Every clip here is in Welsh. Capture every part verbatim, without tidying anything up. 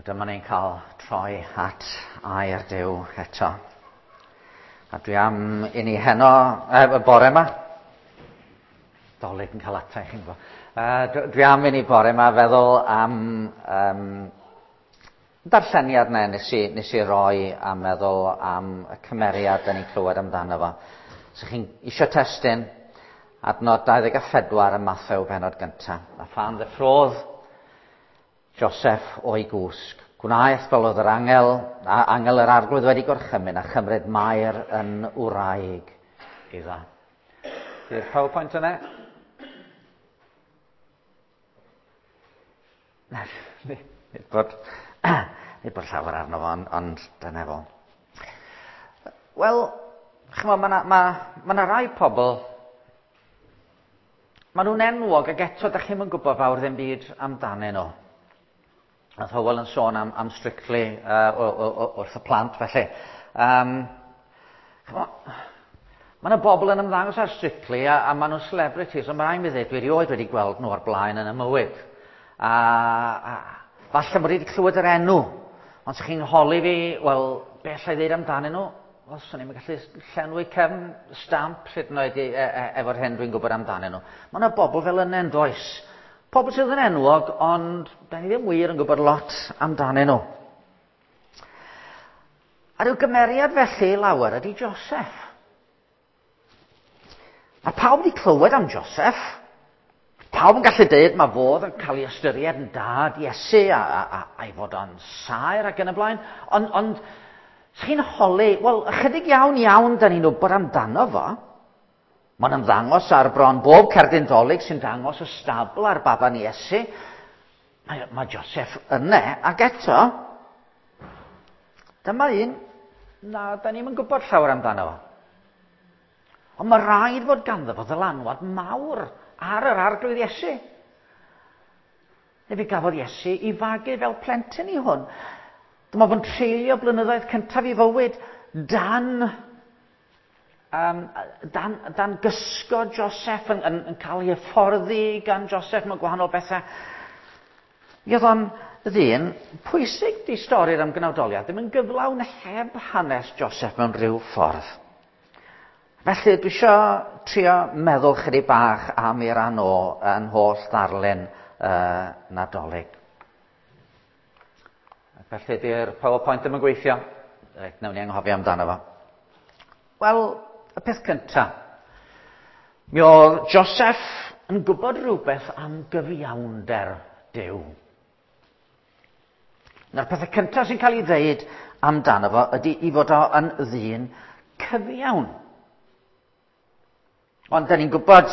Wel, dyma ni'n cael troi at air Duw eto. A dwi am i ni heno, e, y bore yma, Dolig yn cael atai, chi'n gwybod. Uh, dwi am i ni bore yma feddwl am um, darlleniad na nes i, nes i roi a meddwl am y cymeriad da ni'n clywed amdano fo. So chi'n isio testun, adnod dau ddeg a phedwar ym Mathew bennod gyntaf. A phan ddeffrodd Joseph o'i gwsg, gwnaeth fel oedd yr angel, a angel yr arglwydd wedi gorchymyn a chymryd Mair yn wraig iddo. Di'r PowerPoint yna? Nid bod, nid bod llawer arno fo, ond, ond dyna fo. Wel, chymod, mae yna ma, ma ma rai pobl, maen nhw'n enwog ac eto da chi'm yn gwybod fawr ddim byd amdanyn nhw. Nath Hywel yn sôn am, am Strictly uh, o, o, o, wrth y plant, felly. Um, mae yna bobl yn ymddangos ar Strictly a, a maen nhw'n celebrities, ond mae rhaid mi ddweud, dwi erioed wedi gweld nhw o'r blaen yn y mywyd. A, a falle mod i wedi clywed yr enw, ond os chi'n holi fi, wel, be allai ddweud amdanyn nhw? Wel, swn i'm yn gallu llenwi cefn stamp hyd yn oed e, e, efo'r hyn dwi'n gwybod amdanyn nhw. Mae yna bobl fel yna yn does. Pobl sydd yn enwog, ond da ni ddim wir yn gwybod lot amdanyn nhw. A rhyw gymeriad felly lawer ydy Joseph. A pawb wedi clywed am Joseph. Pawb yn gallu dweud mae fodd yn cael ei ystyried yn dad Iesu a, a, a, a'i fod o'n saer ac yn y blaen. Ond, ond chi'n holi, wel, ychydig iawn iawn da ni'n wybod amdano fo. Mae'n ymddangos ar bron bob cerdyn Dolig sy'n dangos y stabl ar baban Iesu. Mae, mae Joseph yna, ac eto, dyma un na, da ni'm yn gwybod llawer amdano fo. Ond mae rhaid fod ganddo fo ddylanwad mawr ar yr arglwydd Iesu. Neu fe gafodd Iesu i fagu fel plentyn i hwn. Dyma fo'n treulio blynyddoedd cyntaf i fywyd dan... Um, dan, dan gysgo Joseph, yn, yn, yn cael ei hyfforddi gan Joseph mewn gwahanol bethau. Mi oedd o'n ddyn pwysig di stori'r ymgnawdoliad, ddim yn gyflawn heb hanes Joseph mewn rhyw ffordd. Felly dwi isio trio meddwl chydig bach am ei ran o yn holl ddarlun uh, Nadolig. Felly di'r PowerPoint ddim yn gweithio. Reit, nawn ni anghofio amdano fo. Wel, y peth cyntaf, mi oedd Joseph yn gwybod rhywbeth am gyfiawnder Duw. Na'r pethau cyntaf sy'n cael ei ddeud amdano fo ydy i fod o yn ddyn cyfiawn. Ond da ni'n gwybod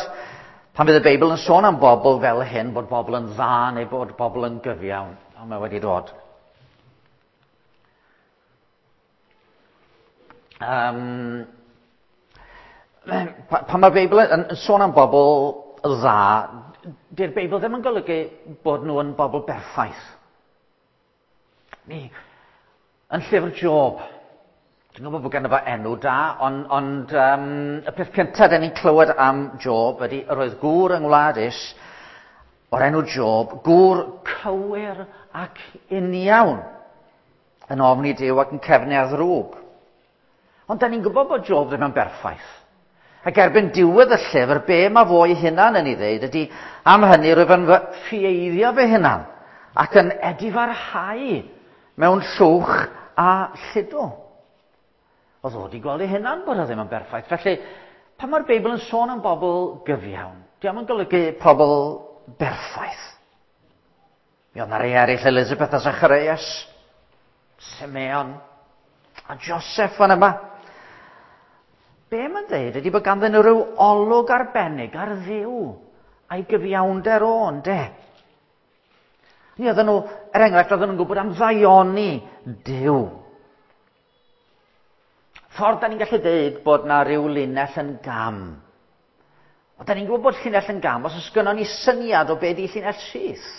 pan fydd y Beibl yn sôn am bobl fel hyn, bod bobl yn dda neu bod bobl yn gyfiawn. Ond mae wedi dod. Um, pan mae'r Beibl yn, yn sôn am bobl dda, di'r Beibl ddim yn golygu bod nhw yn bobl berffaith. Ni, yn llyfr Job, dwi'n gwybod bod ganddo fo enw da, ond, ond um, y peth cyntaf da ni'n clywed am Job ydy yr oedd gŵr yng Ngwlad Is o'r enw Job, gŵr cywir ac uniawn, yn ofni Duw ac yn cefnu ar ddrwg. Ond da ni'n gwybod bod Job ddim yn berffaith. Ac erbyn diwedd y llyfr, be mae fo ei hunan yn ei ddeud ydy, am hynny rwyf yn fy ffieiddio fy hunan ac yn edifarhau mewn llwch a lludw. Oedd o wedi gweld ei hunan bod o ddim yn berffaith. Felly, pan mae'r Beibl yn sôn am bobl gyfiawn, dio'm yn golygu pobl berffaith. Mi oedd 'na rei eraill, Elizabeth a Zacharias, Simeon a Joseph fan yma. Be mae'n dweud ydy bod ganddyn nhw rhyw olwg arbennig ar Dduw a'i gyfiawnder o, ynde? Ni oedden nhw, er enghraifft, oedden nhw'n gwybod am ddaioni Duw. Ffordd da ni'n gallu dweud bod na rhyw linell yn gam. Ond da ni'n gwybod bod llinell yn gam os oes gynnon ni syniad o be di llinell syth.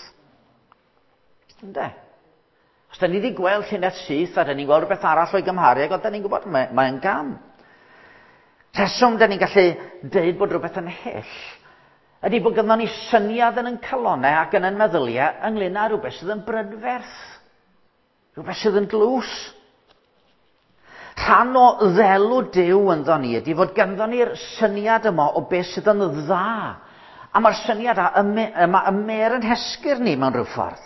Ynde? Os da ni wedi gweld llinell syth a da ni'n gweld rhywbeth arall o'i gymharu, ac da ni'n gwybod mae, mae'n gam. Rheswm da ni'n gallu dweud bod rhywbeth yn hyll ydy bod gynnon ni syniad yn ein calonnau ac yn ein meddyliau ynglyn â rhywbeth sydd yn brydferth. Rhywbeth sydd yn glws. Rhan o ddelw Duw ynddo ni ydy fod ganddo ni'r syniad yma o beth sydd yn dda. A mae'r syniad yma ymer yn hesgyr ni mewn rhyw ffordd.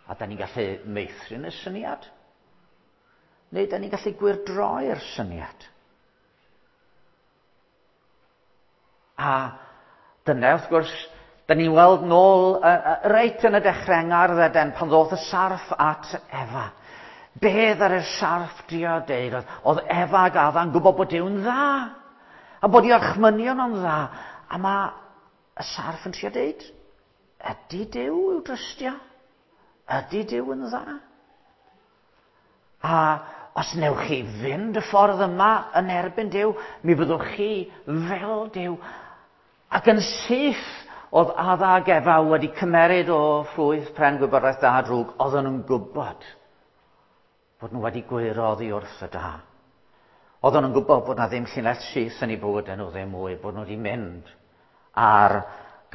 A da ni'n gallu meithrin y syniad. Neu da ni'n gallu gwyrdroi'r syniad. A dyna, wrth gwrs, da ni'n weld nôl uh, uh, reit yn y dechrau yng Ngardd Eden pan ddoth y sarff at Efa. Beth ar y sarff drio deud oedd, oedd Efa ac Adda'n gwybod bod Duw'n dda. A bod i orchmynion o'n dda. A mae y sarff yn trio deud, ydy Duw i'w drystio? Ydy Duw yn dda? A os newch chi fynd y ffordd yma yn erbyn Duw, mi fyddwch chi fel Duw. Ac yn syth oedd Adda ac Efa wedi cymeryd o ffrwyth pren gwybodaeth da a drwg, oedden nhw'n gwybod bod nhw wedi gwyro oddi wrth y da. Oedden nhw'n gwybod bod na ddim llinell syth yn eu bywydau nhw ddim mwy, bod nhw wedi mynd ar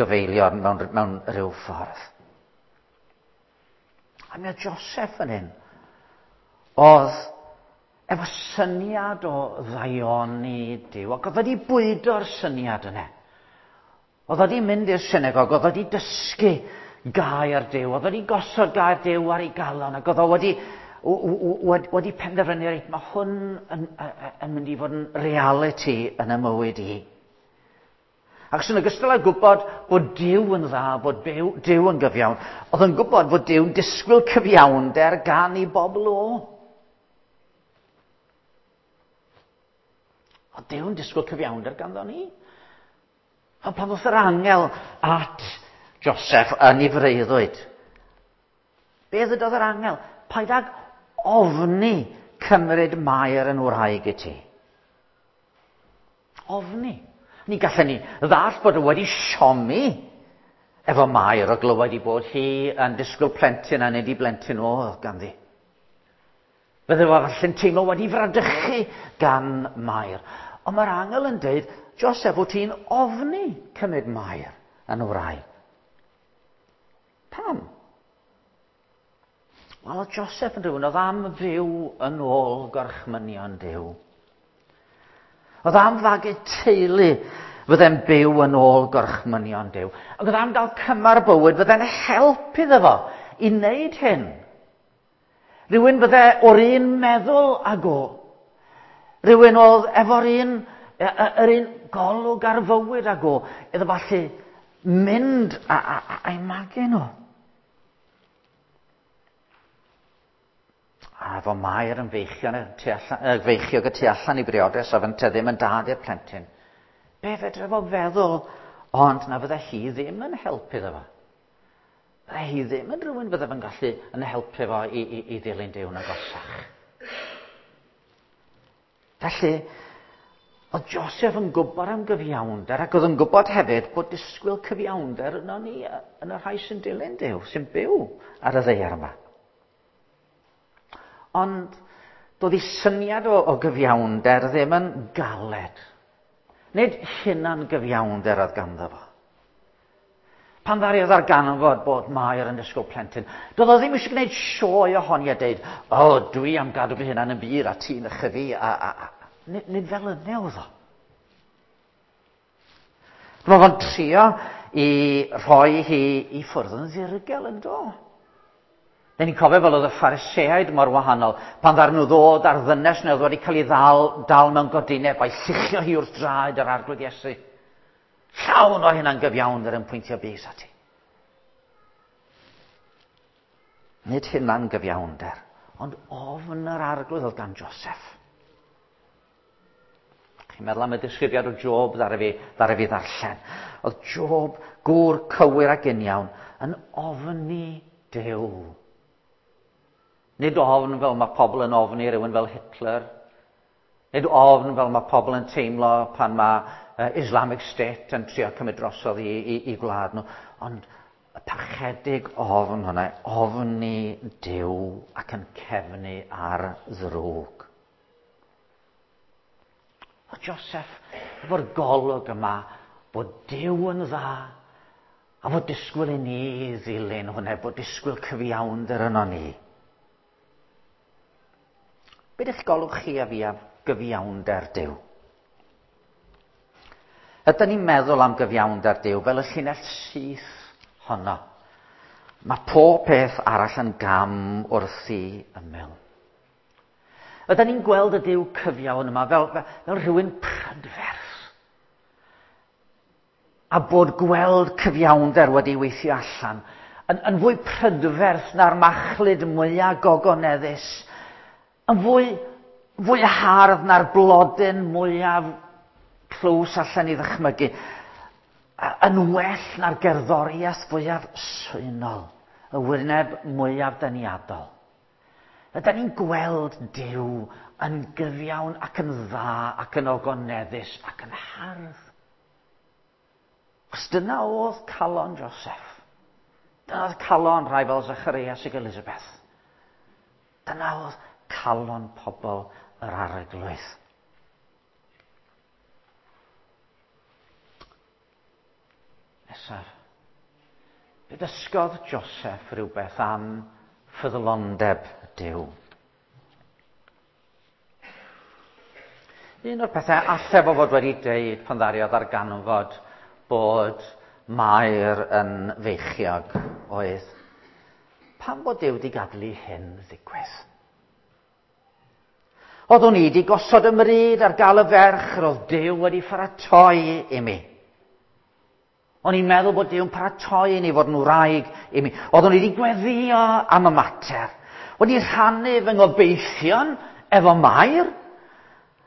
gyfeilion mewn, mewn rhyw ffordd. A mi oedd Joseph yn hyn. Oedd efo syniad o ddaioni Duw, ac oedd wedi bwydo'r syniad yna. Oedd wedi mynd i'r synagog, oedd wedi dysgu gair Duw, oedd wedi gosod gair Duw ar ei galon, ac oedd o wedi, wedi penderfynu, reit, mae hwn yn, yn mynd i fod yn reality yn y mywyd i. Ac yn ogystal â gwybod bod Duw yn dda, bod Duw yn gyfiawn, oedd yn gwybod bod Duw'n disgwyl cyfiawnder gan ei bobl o. Oedd Duw'n disgwyl cyfiawnder ganddo ni. Ond pan ddoth yr angel at Joseph yn ei freuddwyd, be ddydodd yr angel? Paid ag ofni cymryd Mair yn wraig i ti. Ofni. Ni gallen ni ddall bod o wedi siomi efo Mair o glywed i bod hi yn disgwyl plentyn a nid i blentyn oedd ganddi. Fydde fo falle'n teimlo wedi fradychu gan Mair. Ond mae'r angel yn dweud, Joseph, wyt ti'n ofni cymryd Mair yn wraig. Pam? Wel, oedd Joseph yn rhywun oedd am fyw yn ôl gorchmynion Duw. Oedd am fagu teulu fydde'n byw yn ôl gorchmynion Duw. Ac oedd am gael cymar bywyd fydde'n help iddo fo i wneud hyn. Rhywun fydde o'r un meddwl ag o. Rhywun oedd efo'r un, yr un golwg ar fywyd ag o, iddo falle mynd a, a, a, a'i magu nhw. A efo Mair yn feichiog tu allan, feichiog y tu allan i briodas a fynte ddim yn dad i'r plentyn. Be fedre fo feddwl, ond na fydde hi ddim yn helpu iddo fo. Fydde hi ddim yn rhywun fydde fo'n gallu yn helpu fo i, i, i ddilyn Duw'n agosach. Felly, oedd Joseph yn gwybod am gyfiawnder ac oedd yn gwybod hefyd bod disgwyl cyfiawnder yno ni yn y rhai sy'n dilyn Duw, sy'n byw ar y ddaear yma. Ond doedd ei syniad o, o gyfiawnder ddim yn galed. Nid hunan gyfiawnder oedd ganddo fo. Pan ddaru oedd arganfod bod Mair yn disgwyl plentyn, doedd o ddim eisiau gwneud sioe ohoni a deud, o, oh, dwi am gadw fy hunan yn bur a ti'n ychyfu, a, a, a. Nid, nid fel yna oedd o. Dyma fo'n trio i rhoi hi i ffwrdd yn ddirgel yn do. Neu ni'n cofio fel oedd y Phariseaid mor wahanol, pan ddaru nhw ddod ar ddynes neu oedd wedi cael ei ddal, dal mewn godineb a'i lluchio hi wrth draed yr Arglwydd Iesu. Llawn o hynna'n gyfiawnder yn pwyntio bys ati. Nid hynna'n gyfiawnder, ond ofn yr Arglwydd oedd gan Joseph. Chi'n meddwl am y disgrifiad o Job ddaru fi, ddaru fi ddarllen. Oedd Job, gŵr cywir ac uniawn, yn ofni Duw. Nid ofn fel mae pobl yn ofni rhywun fel Hitler. Nid ofn fel mae pobl yn teimlo pan mae uh, Islamic State yn trio cymryd drosodd i, i, i gwlad nhw. Ond y parchedig ofn hwnna, ofni Duw ac yn cefnu ar ddrwg. O Joseph, efo'r golwg yma, bod Duw yn dda, a fod disgwyl i ni ddilyn hwnna, bod disgwyl cyfiawnder yno ni. Be ydych golwg chi a fi am gyfiawnder Duw? Ydyn ni'n meddwl am gyfiawnder Duw fel y llinell syth honno? Mae pob peth arall yn gam wrth ei ymyl. Ydyn ni'n gweld y Duw cyfiawn yma fel, fel, fel rhywun prydferth? A bod gweld cyfiawnder wedi weithio allan yn, yn fwy prydferth na'r machlud mwyaf gogoneddus, yn fwy, fwy hardd na'r blodyn mwyaf clws allan i ddychmygu, yn well na'r gerddoriaeth fwyaf swynol, y wyneb mwyaf deniadol. Ydyn ni'n gweld Duw yn gyfiawn ac yn dda ac yn ogoneddus ac yn hardd. Os dyna oedd calon Joseph. Dyna oedd calon rhai fel Zacharias ac Elizabeth. Dyna oedd calon pobl yr Arglwydd. Nesaf, fe ddysgodd Joseph rhywbeth am ffyddlondeb Duw. Un o'r pethau alle fo fod wedi deud pan ddariodd ddarganfod bod Mair yn feichiog oedd, pam bod Duw wedi gadael i hyn ddigwydd? Oeddwn i wedi gosod y mryd ar gael y ferch yr oedd Duw wedi pharatoi i mi. O'n i'n meddwl bod Duw'n paratoi i ni fod yn wraig i mi. Oeddwn i wedi gweddio am y mater. Wedi rhannu fy ngobeithion efo Mair.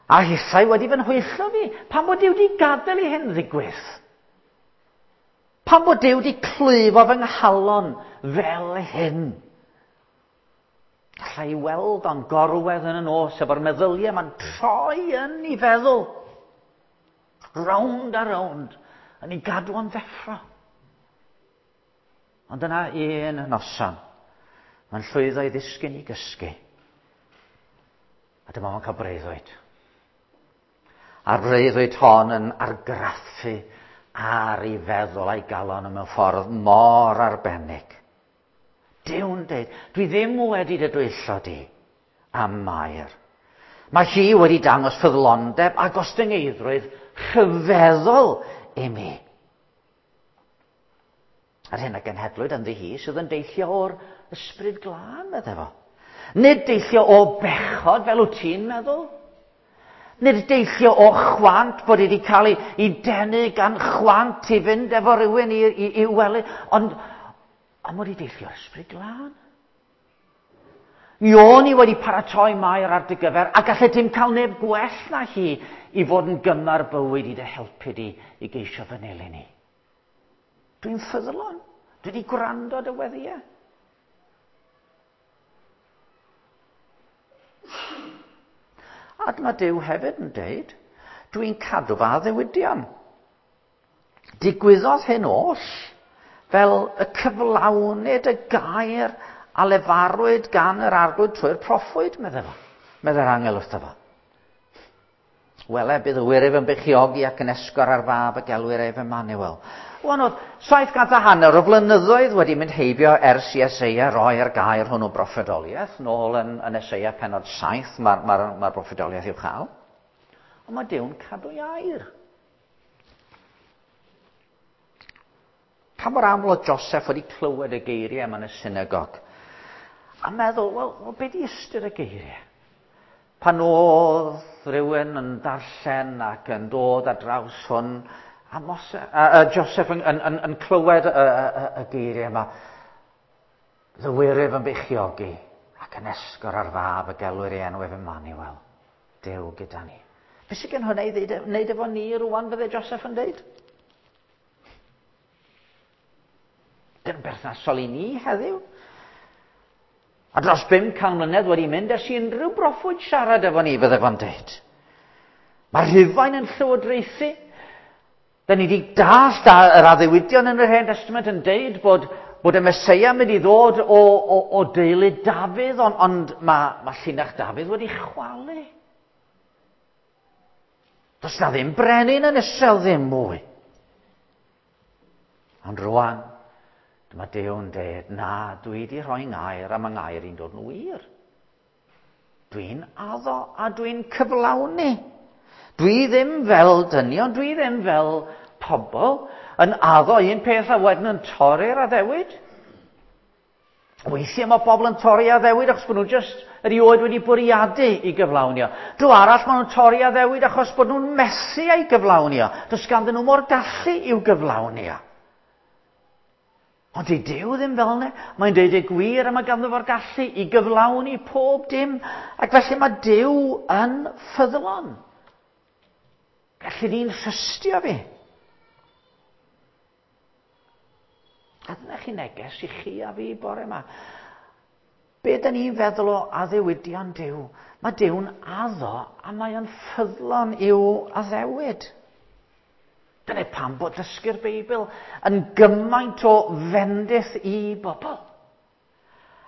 A hithau wedi fy nhwyllo fi. Pam bod Duw wedi gadael i hyn ddigwydd? Pam bod Duw wedi clwyfo fy nghalon fel hyn? Alla i weld o'n gorwedd yn y nos efo'r meddyliau ma'n troi yn ei feddwl. Rownd a rownd. Yn ei gadw o'n ddeffro. Ond yna un noson, mae'n llwyddo i ddisgyn i gysgu. A dyma fo'n cael breuddwyd. A'r breuddwyd hon yn argraffu ar ei feddwl a'i galon mewn ffordd mor arbennig. Duw'n deud, dwi ddim wedi dy dwyllo di am Mair. Mae hi wedi dangos ffyddlondeb a gostyngeiddrwydd rhyfeddol i mi. A'r hyn a genhedlwyd ynddi hi sydd yn deillio o'r ysbryd glân, meddai fo. Nid deillio o bechod fel wyt ti'n meddwl. Nid deillio o chwant bod wedi cael ei, ei denu gan chwant i fynd efo rhywun i, i, i wely, ond ond wedi deillio o'r ysbryd glân. Mi o'n i wedi paratoi Mair ar dy gyfer, a gallai dim cael neb gwell na hi i fod yn gymar bywyd i dy helpu di i geisio fy nilyn i. Dwi'n ffyddlon. Dwi wedi gwrando dy weddïau. A dyma Duw hefyd yn deud, dwi'n cadw fy addewidion. Digwyddodd hyn oll fel y cyflawnid y gair a lefarwyd gan yr Arglwydd trwy'r proffwyd, meddai fo. Meddai'r angel wrtho fo. Wele, bydd y wyryf yn beichiogi ac yn esgor ar fab y gelwir ef Emmanuel. Wan oedd saith cant a hanner o flynyddoedd wedi mynd heibio ers i Eseia roi'r gair hwnnw broffwydoliaeth. Nôl yn, yn Eseia pennod saith mae'r ma, ma, ma broffwydoliaeth i'w chael. Ond mae Duw'n cadw'i air. Pa mor aml oedd Joseph wedi clywed y geiriau yma yn y synagog? A meddwl, wel, well, be di ystyr y geiriau? Pan oedd rhywun yn darllen ac yn dod ar draws hwn, a, Mose, a, a Joseph yn, yn, yn, yn clywed y, y, y geiriau yma, ddywyryf yn beichiogi ac yn esgor ar fab y gelwir ei enw ef Emmanuel, Duw gyda ni. Be sydd gen hwnna i ddeud, wneud efo ni rwan, fydde Joseph yn deud? Dyn berthnasol i ni heddiw. A dros bum can mlynedd wedi mynd ers i unrhyw broffwyd siarad efo ni, fydde fo'n deud. Mae Rhufain yn llywodraethu. Da ni wedi dallt yr addewidion yn yr Hen Testament yn deud bod, bod y Meseia mynd i ddod o, o, o deulu Dafydd, ond, ond mae, mae llinach Dafydd wedi chwalu. Does na ddim brenin yn Israel ddim mwy. Ond rwan, dyma Duw'n deud, na, dwi wedi rhoi ngair a mae ngair i'n dod yn wir. Dwi'n addo a dwi'n cyflawni. Dwi ddim fel dynion, dwi ddim fel pobl yn addo un peth a wedyn yn torri'r addewid. Weithiau mae bobl yn torri addewid achos bod nhw jyst erioed wedi bwriadu i gyflawnio. Dro arall maen nhw'n torri addewid achos bod nhw'n methu ei gyflawnio. Does ganddyn nhw mo'r gallu i'w gyflawnio. Ond dydy Duw ddim fel yna. Mae'n deud y gwir a mae ganddo fo'r gallu i gyflawni pob dim. Ac felly mae Duw yn ffyddlon. Gallu ni'n trystio fi. A dyna chi neges i chi a fi bore yma. Be da ni'n feddwl o addewidion Duw? Mae Duw'n addo a mae o'n ffyddlon i'w addewid. Dyna pam bod dysgu'r Beibl yn gymaint o fendith i bobl.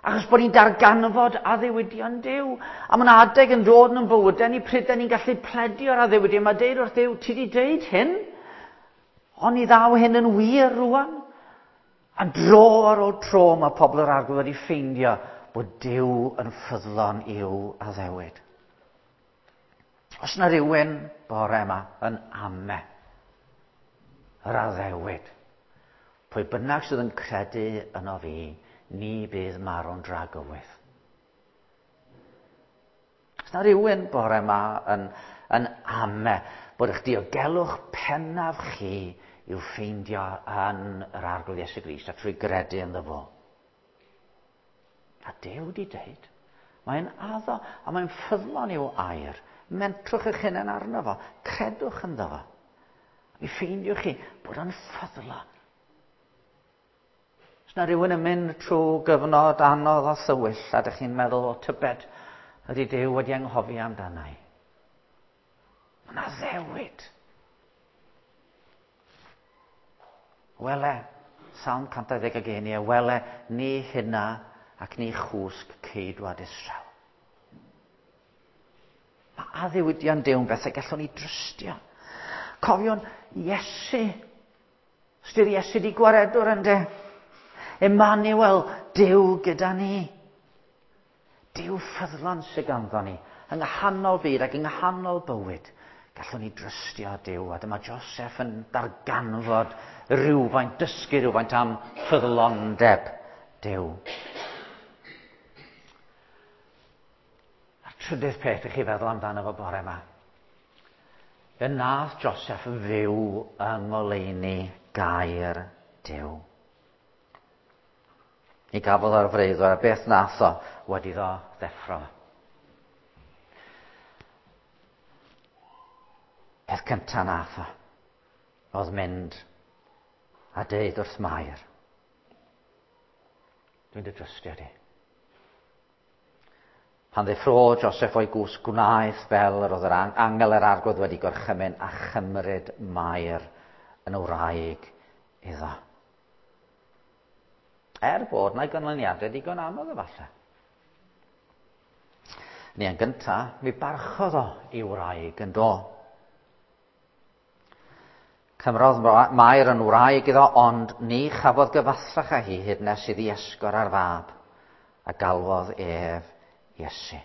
Achos bod ni'n darganfod addewidion Duw. A mae'n adeg yn dod yn bywydau ni pryd da ni'n gallu pledio'r addewidion. Mae deud wrth Duw, ti di deud hyn? Ond i ddaw hyn yn wir rwan. A dro ar ôl tro mae pobl yr Arglwydd wedi ffeindio bod Duw yn ffyddlon i'w addewid. Os yna rhywun bore yma yn ame yr addewid, pwy bynnag sydd yn credu yno fi, ni bydd marw'n dragywydd. Os yna rhywun bore yma yn, yn ame bod eich diogelwch pennaf chi i'w ffeindio yn yr Arglwydd Iesu Grist a trwy gredu ynddo fo. A Duw di deud, mae'n addo a mae'n ffyddlon i'w air. Mentrwch eich hunain arno fo, credwch ynddo fo. Mi ffeindiwch chi bod o'n ffyddlon. Os na rhywun yn mynd trwy gyfnod anodd a thywyll a ydych chi'n meddwl o tybed ydy Duw wedi anghofio amdana i. Mae'n addewid. Wele, Salm cant dau ddeg ag un, wele, ni hynna ac ni chwsg ceidwad Israel. Mae addewidion Duw'n bethau gallwn ni drystio. Cofiwn Iesu. Ystyr Iesu di gwaredwr ynde? Emmanuel, Duw gyda ni. Duw ffyddlon sydd ganddo ni. Yng nghanol byd ac yng nghanol bywyd. Gallwn ni drystio Duw. A dyma Joseph yn darganfod rhywfaint, dysgu rhywfaint am ffyddlondeb Duw. A'r trydydd peth i chi feddwl amdano fo bore yma. Y nath Joseph fyw yng ngoleuni gair Duw. Mi gafodd o'r freuddwyd a beth nath o wedi iddo ddeffro. Peth cyntaf nath o oedd mynd a deud wrth Mair, dwi'n dy drystio di. Pan ddeffro Joseph o'i gwsg, gwnaeth fel yr oedd yr angel yr Arglwydd wedi gorchymyn a chymryd Mair yn wraig iddo. Er bod na'i ganlyniadau digon anodd efallai. Ni yn gyntaf, mi barchodd o i wraig yn do. Cymrodd Mair yn wraig iddo, ond ni chafodd gyfathrach â hi hyd nes iddi esgor ar fab, a galwodd ef Iesu.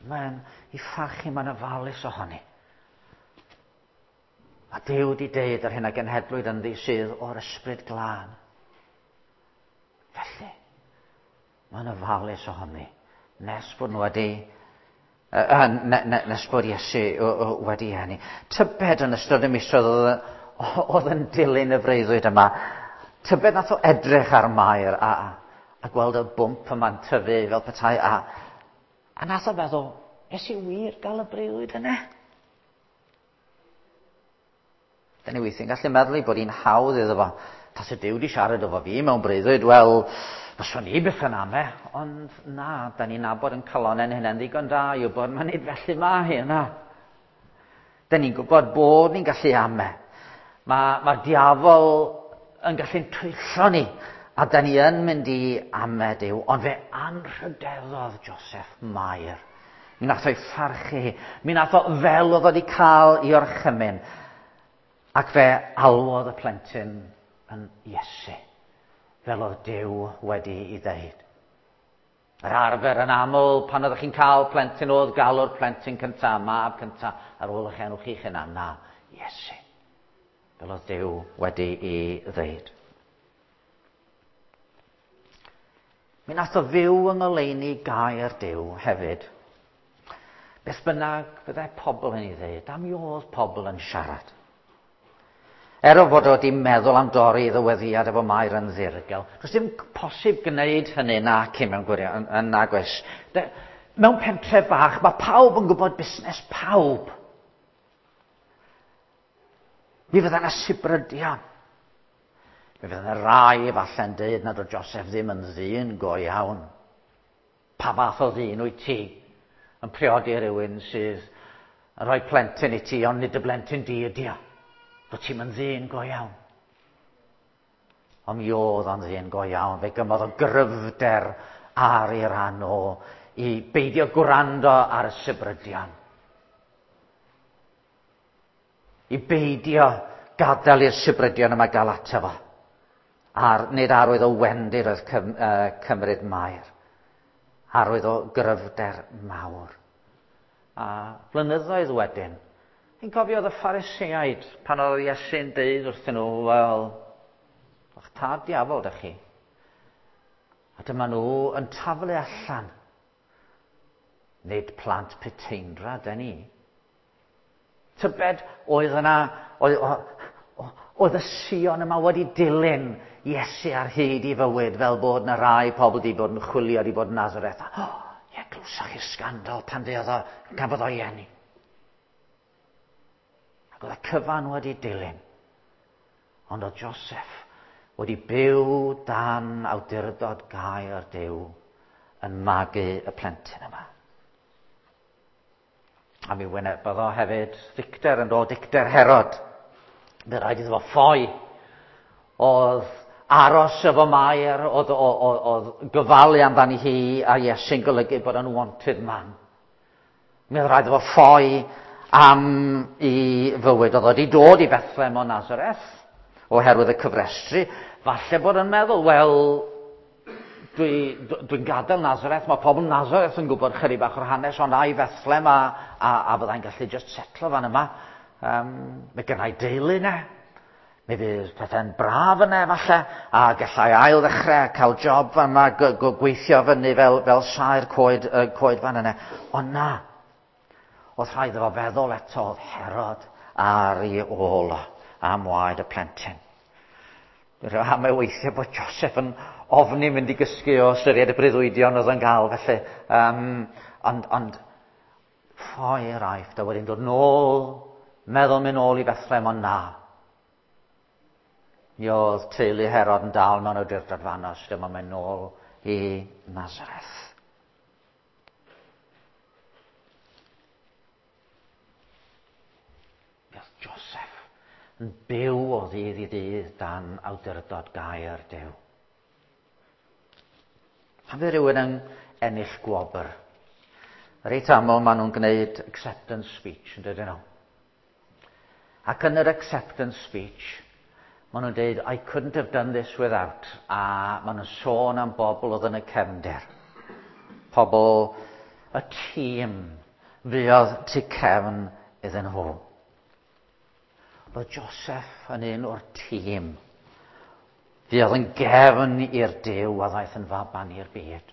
Mae'n ei pharchu, mae'n ofalus ohoni. A Duw di deud ar hyn a genhedlwyd ynddi sydd o'r ysbryd glân. Felly, mae'n ofalus ohoni. Nes bod nhw wedi, uh, ne, ne, nes bod Iesu wedi eni. Tybed yn ystod y misoedd oedd, oedd yn dilyn y freuddwyd yma, tybed nath o edrych ar Mair a, a gweld y bwmp yma'n tyfu fel petai, a, a nath o feddwl, nes i wir gael y breuddwyd yna? Da ni weithiau'n gallu meddwl ei bod hi'n hawdd iddo fo. Tase Duw di siarad efo fi mewn breuddwyd, wel, fyswn i byth yn ame. Ond na, da ni'n nabod yn calonnau'n hunain ddigon da i wybod mae nid felly ma hi yna. Da ni'n gwybod bod ni'n gallu ame. Mae'r ma diafol yn gallu'n twyllo ni, a da ni yn mynd i ame Duw. Ond fe anrhydeddodd Joseph Mair. Mi nath o'i pharchu hi. Mi nath o fel oedd wedi cael ei orchymyn. Ac fe alwodd y plentyn yn Iesu, fel oedd Duw wedi ei ddeud. Yr arfer yn aml, pan oeddech chi'n cael plentyn, oedd galw'r plentyn cyntaf, mab cyntaf, ar ôl eich enw chi'ch hunan. Na, Iesu. Fel oedd Duw wedi i ddeud. Mi nath o fyw yng ngoleuni gair Duw hefyd. Beth bynnag fyddai pobl yn ei ddeud, a mi oedd pobl yn siarad. Er o fod o wedi meddwl am dorri ddyweddiad efo Mair yn ddirgel, does dim posib gwneud hynny nac i mewn gwirion, yn nag oes. Mewn pentre bach, mae pawb yn gwybod busnes pawb. Mi fydda yna sibrydion. Mi fydda yna rai falle'n dweud nad oedd Joseph ddim yn ddyn go iawn. Pa fath o ddyn wyt ti yn priodi rhywun sydd yn rhoi plentyn i ti, ond nid y blentyn di ydi o. Bod ti'n yn ddyn go iawn. Ond mi oedd o'n ddyn go iawn. Fe gymodd o gryfder ar ei ran o i beidio gwrando ar y sibrydion. I beidio gadael i'r sibrydion yma gael ato fo. Ar, nid arwydd o wendid oedd cym, uh, cymryd Mair. Arwydd o gryfder mawr. A blynyddoedd wedyn, fi'n cofio oedd y Phariseaid pan oedd Iesu'n deud wrthyn nhw, wel, o'ch tad diafol dych chi. A dyma nhw yn taflu allan. Nid plant puteindra, da ni. Tybed oedd yna, oedd, oedd y Sion yma wedi dilyn Iesu ar hyd i fywyd, fel bod yna rai pobl wedi bod yn chwilio, wedi bod yn Nazareth. O, oh, ie, glwsoch chi'r sgandal pan fuodd o, gafodd o'i eni. Ac oedd y cyfan wedi dilyn. Ond oedd Joseph wedi byw dan awdurdod gair Duw yn magu y plentyn yma. A mi wynebodd o hefyd ddicter yn dod, dicter Herod. Fe rhaid iddo fo ffoi. Oedd aros efo Mair, oedd, oedd, oedd gofalu amdani hi a Iesu'n golygu bod o'n wanted man. Mi oedd rhaid iddo fo ffoi am i fywyd. Oedd wedi dod i Bethlehem o Nazareth oherwydd y cyfrestru. Falle bod yn meddwl, wel, dwi'n dwi, dwi gadael Nazareth, mae pobl Nazareth yn gwybod chydig bach o'r hanes, ond a i Bethlehem a, a, a fyddai'n gallu just setlo fan yma. Um, mae gennau deulu yna. Mi fydd pethau'n braf yna falle, a gallai ail ddechrau cael job fan yma, gweithio fyny fel, fel saer coed, uh, coed fan yna. Ond na, oedd rhaid iddo fo feddwl eto, oedd Herod ar ei ôl o am waed y plentyn. Am ei weithiau bod Joseph yn ofni mynd i gysgu o ystyried y breuddwydion oedd yn gael, felly. Um, ond, ond ffoi i'r Aifft a wedyn dod nôl, meddwl mynd nôl i Bethlehem, ond na. Mi oedd teulu Herod yn dal mewn awdurdod fanos, dyma mynd nôl i Nazareth. Mi oedd Joseph yn byw o ddydd i ddydd dan awdurdod gair Duw. Pan fydd rhywun yn ennill gwobr, reit aml maen nhw'n gwneud acceptance speech, yn dydyn nhw. Ac yn yr acceptance speech, maen nhw'n dweud, I couldn't have done this without, a maen nhw'n sôn am bobl oedd yn y cefndir. Pobl, y tîm fuodd tu cefn iddyn nhw. Roedd Joseph yn un o'r tîm. Fuodd yn gefn i'r Duw a ddaeth yn faban i'r byd.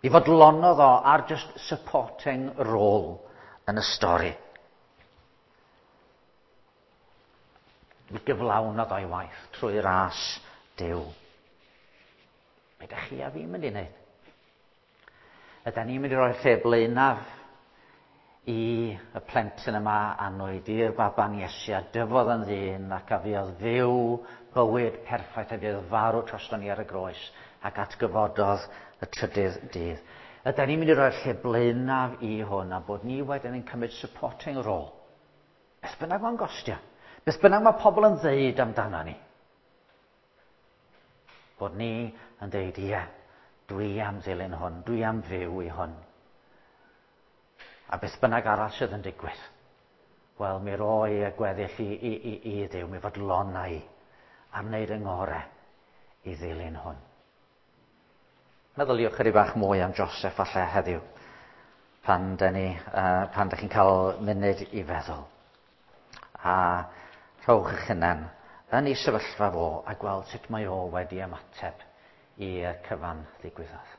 Mi fodlonodd o ar just supporting role yn y stori. Mi gyflawnodd o'i waith trwy ras Duw. Be ydych chi a fi'n mynd i wneud? Ydy ni'n mynd i roi'r lle blaenaf i y plentyn yma annwyd, i'r baban Iesu, a dyfodd yn ddyn ac a fuodd fyw bywyd perffaith a fuodd farw drosto ni ar y groes ac atgyfododd y trydydd dydd. Ydy ni'n mynd i roi'r lle blaenaf i hwn a bod ni wedyn yn cymryd supporting role. Beth bynnag mae'n gostio. Beth bynnag mae pobl yn ddeud amdano ni. Bod ni yn deud, ie, dwi am ddilyn hwn, dwi am fyw i hwn. A beth bynnag arall sydd yn digwydd, wel, mi roi y gweddill i, i, i, i Dduw, mi fodlona i am wneud yng ngorau i ddilyn hwn. Meddyliwch chydig bach mwy am Joseph falle heddiw, pan da ni, uh, pan da chi'n cael munud i feddwl. A rhowch eich hunan yn ei sefyllfa fo a gweld sut mae o wedi ymateb i'r cyfan ddigwyddodd.